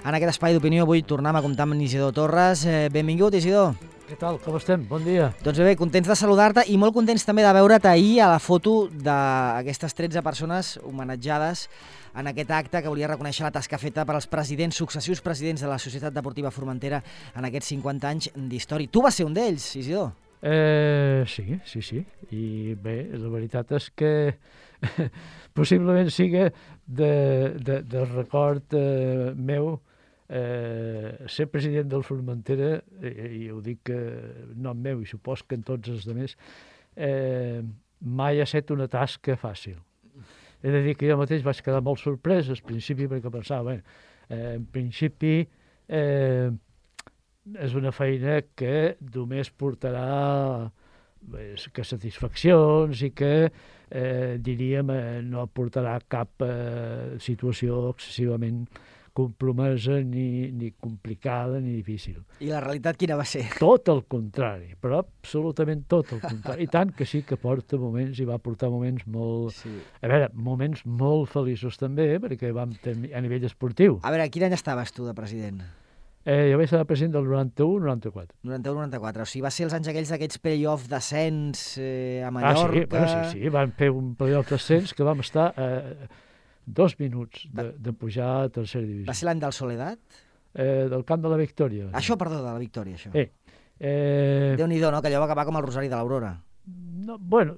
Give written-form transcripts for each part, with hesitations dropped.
En aquest espai d'opinió avui tornem a comptar amb Isidor Torres. Benvingut, Isidor. Què tal? Com estem? Bon dia. Doncs bé, contents de saludar-te i molt contents també de veure't ahir a la foto d'aquestes 13 persones homenatjades en aquest acte que volia reconèixer la tasca feta per als successius presidents de la Societat Deportiva Formentera en aquests 50 anys d'història. Tu vas ser un d'ells, Isidor? Sí. I bé, la veritat és que possiblement siga del record meu ser president del Formentera, i ho dic nom meu i supos que en tots els altres, mai ha estat una tasca fàcil. He de dir que jo mateix vaig quedar molt sorprès al principi perquè pensava, en principi és una feina que només portarà que satisfaccions i que, diríem, no portarà cap situació excessivament compromesa, ni complicada, ni difícil. I la realitat quina va ser? Tot el contrari, però absolutament tot el contrari. I tant que sí que porta moments, i va portar moments molt... Sí. A veure, moments molt feliços també, perquè vam tenir a nivell esportiu. A veure, quin any estaves tu de president? Jo vaig ser president del 91-94. 91-94, o sigui, va ser els anys aquells play-off d'ascens a Mallorca... Sí, van fer un play-off d'ascens que vam estar 2 minuts de pujar a tercera divisió. Va ser l'any del Soledat? Del Camp de la Victòria. Això, perdó, de la Victòria, això. Déu-n'hi-do, no?, que allò va acabar com el Rosari de l'Aurora. No, bueno,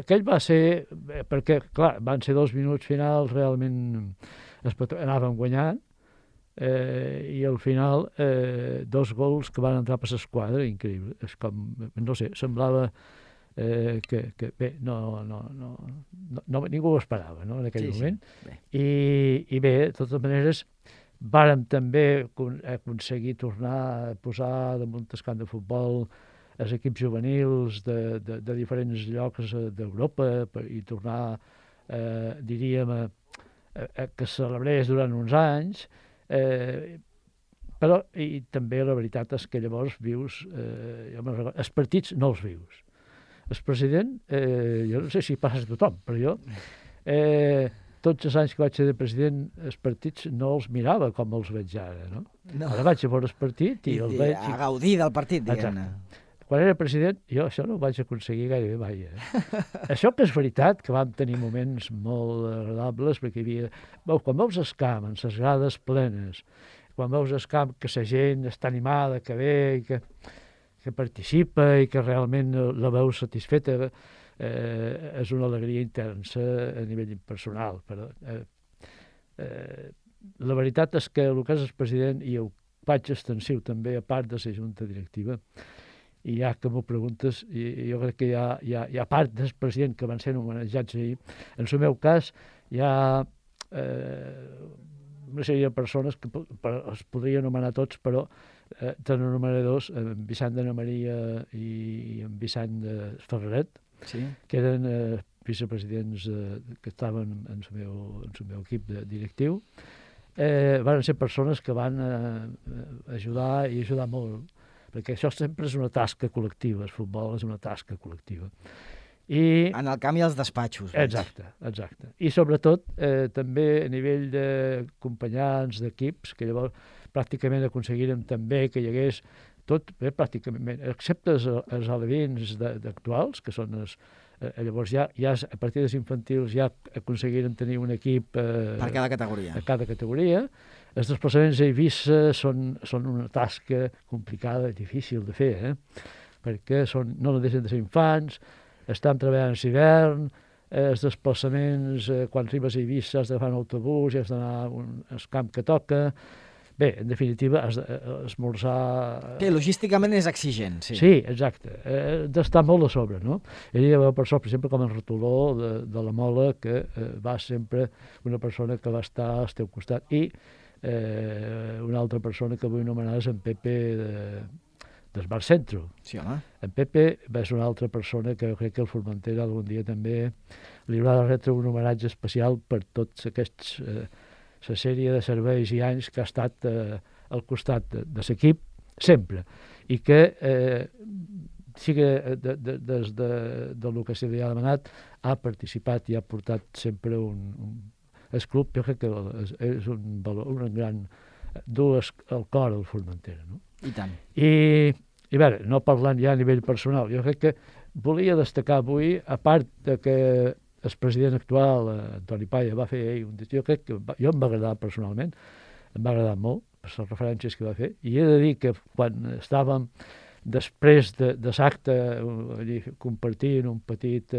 aquell va ser... Perquè, clar, van ser 2 minuts finals, realment anàvem guanyant, i al final 2 gols que van entrar per l'esquadra, increïble. És com, no sé, semblava que bé, ningú ho esperava, no, en aquell moment. I bé, de totes maneres, vàrem també aconseguir tornar a posar damunt el camp de futbol els equips juvenils de diferents llocs d'Europa i tornar, diríem, que es celebrés durant uns anys, però i també la veritat és que llavors vius, els partits no els vius. El president, jo no sé si passa a tothom, però jo, tots els anys que vaig ser de president, els partits no els mirava com els veig ara, no? Ara vaig a veure el partit i els veig... A gaudir del partit, diguem-ne. Quan era president, jo això no ho vaig aconseguir gairebé mai. Això que és veritat, que vam tenir moments molt agradables, perquè hi havia... Quan veus el camp, amb les grades plenes, quan veus el camp que la gent està animada, que ve, que participa i que realment la veus satisfeta, és una alegria intensa a nivell personal. Però la veritat és que el que és el president, i ho faig extensiu també, a part de la junta directiva, i ja que m'ho preguntes, jo crec que hi ha part del president que van ser homenatjats ahir. En el meu cas, hi ha una sèrie de persones que es podrien anomenar tots, però te n'anomenaré 2, en Vicent de Maria i en Vicent de Ferret, que eren vicepresidents que estaven en el meu equip directiu. Van ser persones que van ajudar molt, perquè això sempre és una tasca col·lectiva, el futbol és una tasca col·lectiva. En el camp i als despatxos. Exacte. I sobretot també a nivell d'acompanyants, d'equips, que llavors pràcticament aconseguirem també que hi hagués tot, pràcticament, excepte els alevins actuals, que són llavors ja a partir dels infantils ja aconseguirem tenir un equip per cada categoria. A cada categoria. Els desplaçaments a Eivissa són una tasca complicada i difícil de fer, perquè no deixen de ser infants, estan treballant a l'hivern, els desplaçaments, quan arribes a Eivissa has d'agafar un autobús i has d'anar al camp que toca. Bé, en definitiva, has d'esmorzar... Que logísticament és exigent, sí. Sí, exacte. D'estar molt a sobre, no? Hi ha persones, per exemple, com el Retoló de la Mola, que va sempre una persona que va estar al teu costat. I una altra persona que vull anomenar és en Pepe del Bar Centro. Sí, home. En Pepe és una altra persona que jo crec que el Formentera algun dia també li haurà de retre un homenatge especial per tots aquests... la sèrie de serveis i anys que ha estat al costat de l'equip, sempre. I que sigui des del que se li ha demanat, ha participat i ha portat sempre el club, jo crec que és un gran dues al cor al Formentera, no? I tant. I a veure, no parlant ja a nivell personal, jo crec que volia destacar avui, a part de que el president actual, Antoni Palla, va fer un discurs, jo crec que jo em va agradar personalment, em va agradar molt per les referències que va fer, i he de dir que quan estàvem després de l'acte compartint un petit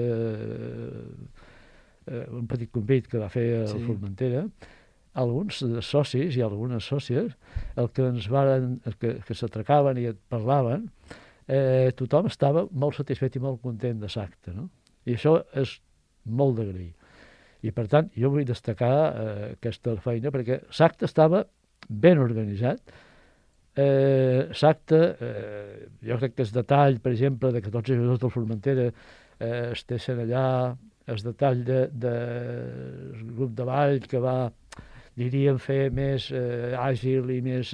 convit que va fer el Formentera, alguns socis i algunes sòcies, el que ens varen, que s'atracaven i et parlaven, tothom estava molt satisfet i molt content de l'acte, no? I això és molt d'agrair. I per tant, jo vull destacar aquesta feina, perquè l'acte estava ben organitzat. L'acte, jo crec que el detall, per exemple, de que tots els jugadors del Formentera estessin allà, el detall del grup de ball que va, diríem, fer més àgil i més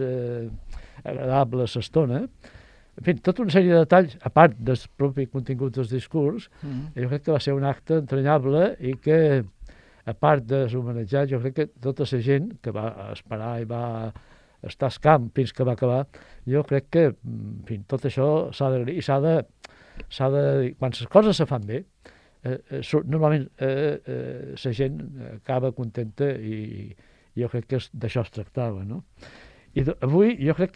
agradable l'estona. En fi, tota una sèrie de detalls, a part del propi contingut del discurs, jo crec que va ser un acte entranyable i que, a part dels homenatjats, jo crec que tota la gent que va esperar i va estar al camp fins que va acabar, jo crec que, en fi, tot això s'ha d'agrair i s'ha de dir, quan les coses se fan bé, normalment la gent acaba contenta i jo crec que d'això es tractava, no? I avui jo crec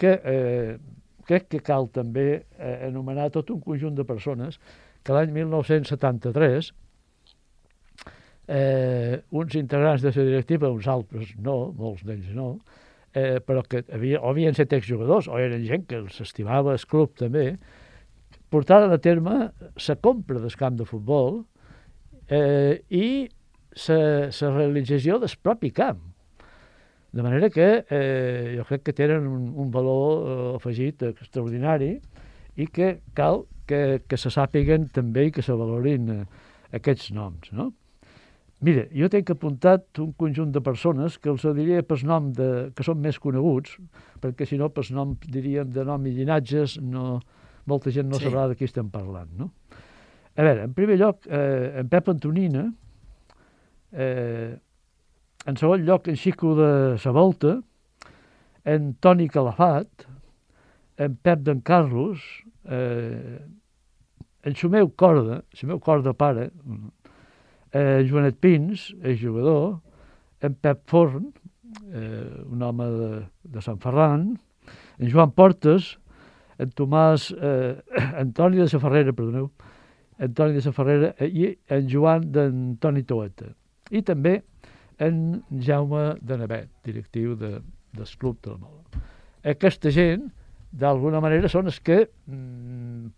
que cal també anomenar tot un conjunt de persones que l'any 1973 uns integrants de la directiva, uns altres no, molts d'ells no, però que havien set exjugadors o eren gent que els estimava el club també, portaren a terme la compra del camp de futbol i la realització del propi camp. De manera que jo crec que tenen un valor afegit extraordinari i que cal que se sàpiguen també i que se valorin aquests noms, no? Mira, jo tinc apuntat un conjunt de persones que els diria per nom que són més coneguts, perquè si no, per nom, diríem, de nom i llinatges, molta gent no sabrà de qui estem parlant, no? A veure, en primer lloc, en Pep Antonina, en segon lloc, en Xico de la Volta, en Toni Calafat, en Pep d'en Carlos, en el meu corda pare, en Joanet Pins, el jugador, en Pep Forn, un home de Sant Ferran, en Joan Portes, en Tomàs, Antoni de la Ferrera, perdoneu, Antoni de la Ferrera i en Joan d'Antoni Toeta. I també en Jaume de Navet, directiu del Club de la Mola. Aquesta gent, d'alguna manera, són els que,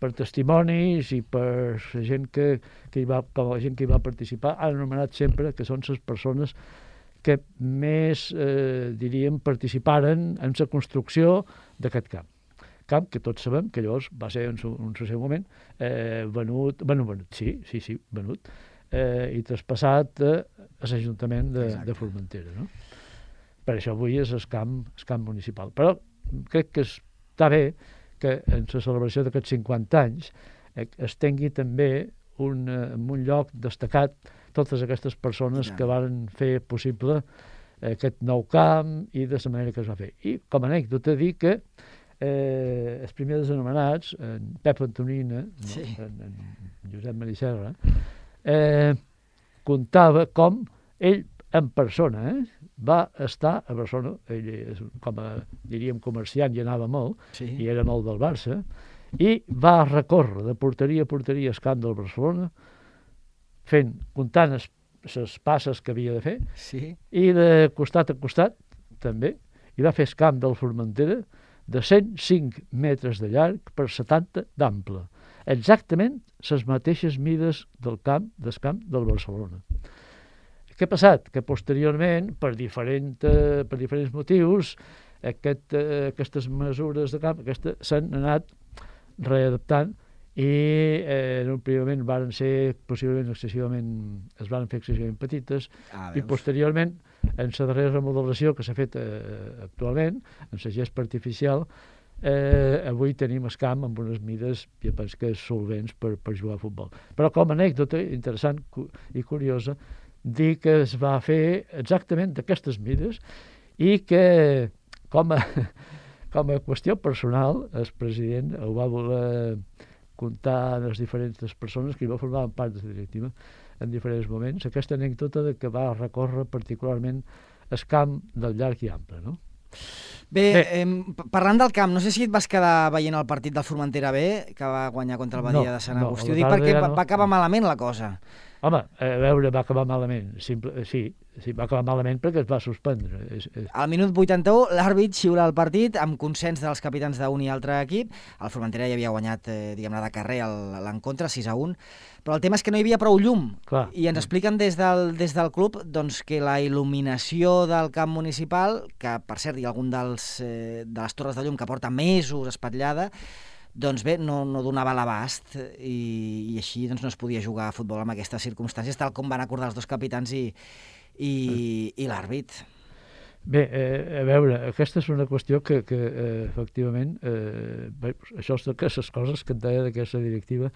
per testimonis i per la gent que hi va, com la gent que hi va participar, han anomenat sempre que són les persones que més, diríem, participaren en la construcció d'aquest camp. Camp que tots sabem que llavors va ser en el seu moment venut, i traspassat a l'Ajuntament de Formentera, no? Per això avui és el camp municipal. Però crec que està bé que en la celebració d'aquests 50 anys es tingui també en un lloc destacat totes aquestes persones que van fer possible aquest nou camp i de la manera que es va fer. I com a anècdota dir que els primers anomenats, en Pep Antonina, en Josep Mariserra, contava com ell en persona va estar a Barcelona, ell com a, diríem, comerciant i anava molt, i era molt del Barça, i va recórrer de porteria a porteria el camp del Barcelona, comptant les passes que havia de fer, i de costat a costat també, i va fer el camp del Formentera de 105 metres de llarg per 70 d'ample. Exactament les mateixes mides del camp del Barcelona. Què ha passat? Que posteriorment, per diferents motius, aquestes mesures de camp s'han anat readaptant i en un primer moment van ser possiblement es van fer excessivament petites i posteriorment en la darrera remodelació que s'ha fet actualment, en la gespa artificial, avui tenim el camp amb unes mides, jo penso que solvents per jugar a futbol. Però com a anècdota interessant i curiosa, dir que es va fer exactament d'aquestes mides i que, com a qüestió personal, el president ho va voler contar a les diferents persones que hi va formar part de la directiva en diferents moments, aquesta anècdota de que va recórrer particularment el camp del llarg i ample, no? Bé, parlant del camp, no sé si et vas quedar veient el partit del Formentera B, que va guanyar contra el Badia de Sant Agustí. Ho dic perquè va acabar malament la cosa. Home, a veure, va acabar malament. Sí, va acabar malament perquè es va suspendre. Al minut 81, l'àrbit xiula el partit amb consens dels capitans d'un i altre equip. El Formentera ja havia guanyat, diguem-ne, de carrer l'encontre, 6-1. Però el tema és que no hi havia prou llum. Clar. I ens expliquen des del club doncs, que la il·luminació del camp municipal, que per cert hi ha algun de les torres de llum que porta mesos espatllada, doncs bé, no donava l'abast i així doncs, no es podia jugar a futbol en aquestes circumstàncies, tal com van acordar els dos capitans i l'àrbit. Bé, a veure, aquesta és una qüestió que efectivament, això és d'aquestes coses que et deia d'aquesta directiva,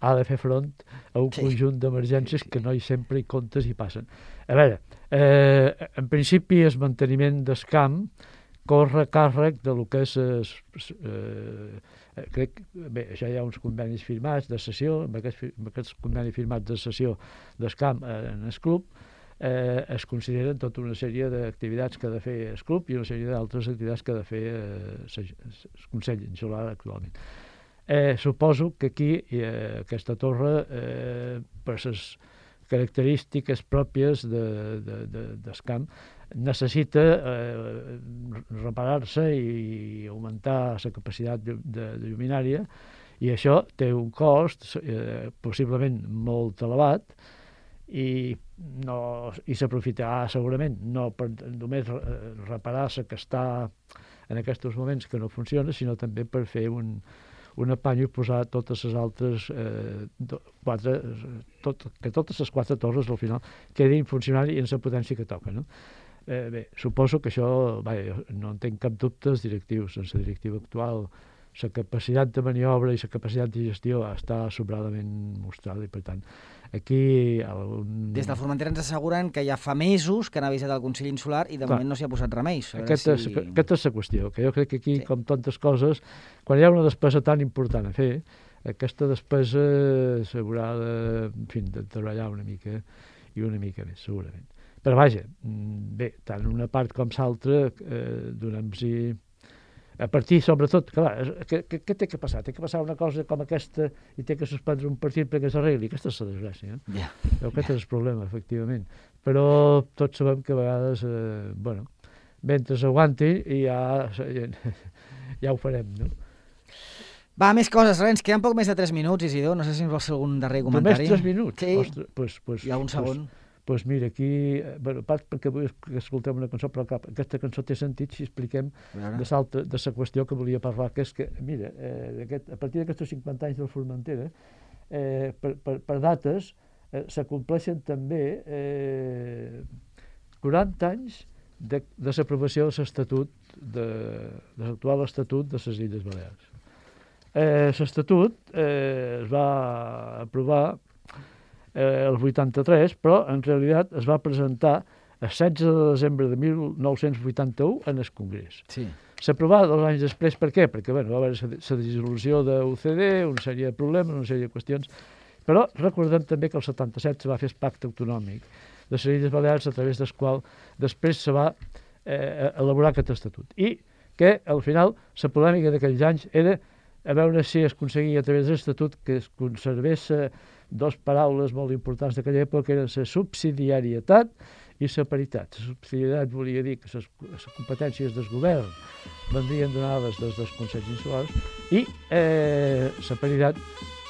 ha de fer front a un conjunt d'emergències que no hi sempre hi comptes i passen. A veure, en principi el manteniment del camp corre a càrrec de lo que és bé, això hi ha uns convenis firmats de cessió, amb aquests convenis firmats de cessió del camp en el club es consideren tota una sèrie d'activitats que ha de fer el club i una sèrie d'altres activitats que ha de fer el Consell Insular actualment. Suposo que aquí aquesta torre, per les característiques pròpies del camp, necessita reparar-se i augmentar la capacitat de lluminària, i això té un cost possiblement molt elevat i s'aprofitarà segurament no per només reparar la que està en aquests moments que no funciona, sinó també per fer un apany i posar totes les altres que totes les 4 torres al final quedin funcionant i en la potència que toca, no? Bé, suposo que això, no en tinc cap dubte, els directius, en la directiva actual, la capacitat de maniobra i la capacitat de gestió està sobradament mostrada i, per tant, aquí... Des del Formentera ens asseguren que ja fa mesos que han avisat el Consell Insular i de moment no s'hi ha posat remei. Aquesta és la qüestió, que jo crec que aquí, com tantes coses, quan hi ha una despesa tan important a fer, aquesta despesa s'haurà de treballar una mica i una mica més, segurament. Però vaja, bé, tant una part com l'altra, donem-hi... A partir, sobretot, clar, què té que passar? Té que passar una cosa com aquesta i té que suspendre un partit perquè s'arregli. Aquesta és la desgràcia. Aquest és el problema, efectivament. Però tots sabem que a vegades, mentre s'aguanti ja ho farem, no? Va, més coses, Renys, queden poc més de 3 minuts, Isidor, no sé si ens vols fer algun darrer comentari. Només 3 minuts? Sí, pues, hi ha un segon. Doncs mira, aquí, part perquè vull que escoltem una cançó, però aquesta cançó té sentit si expliquem de la qüestió que volia parlar, que és que, mira, a partir d'aquests 50 anys del Formentera, per dates, s'acompleixen també 40 anys de l'aprovació de l'estatut, de l'actual estatut de les Illes Balears. L'estatut es va aprovar el 83, però en realitat es va presentar el 16 de desembre de 1981 en el Congrés. Sí. S'aprovà 2 anys després, per què? Perquè va haver la dissolució de l'UCD, una sèrie de problemes, una sèrie de qüestions, però recordem també que el 77 se va fer el pacte autonòmic de les Illes Balears, a través del qual després se va elaborar aquest estatut. I que, al final, la polèmica d'aquells anys era a veure si es aconseguia a través de l'estatut que es conservés 2 paraules molt importants d'aquella època, que eren la subsidiarietat i la paritat. La subsidiarietat volia dir que les competències del govern vendrien donades des dels Consells Insulars i la paritat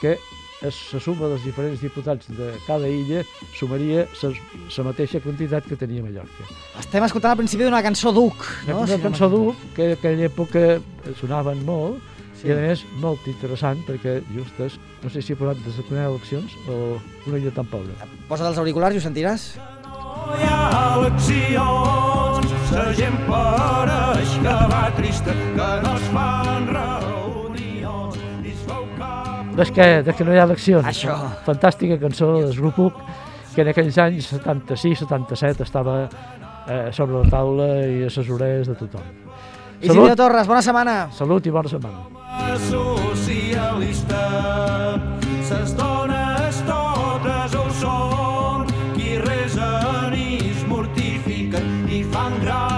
que la suma dels diferents diputats de cada illa sumaria la mateixa quantitat que tenia Mallorca. Estem escoltant al principi d'una cançó d'Uc, no? Una cançó d'Uc que en aquella època sonaven molt, sí. I a més molt interessant perquè just és, no sé si he posat des de les eleccions o una illa tan pobra. Posa't els auriculars i ho sentiràs. No hi ha eleccions, la gent pareix que va trista, que no es fan reunions, i es veu cap... Des que no hi ha eleccions. Això. Fantàstica cançó del grup UC, que en aquells anys 76-77 estava sobre la taula i a les orelles de tothom. Isidre Torres, bona setmana. Salut i bona setmana. Socialista, ses dones totes ho són, qui resen i es mortifiquen i fan gran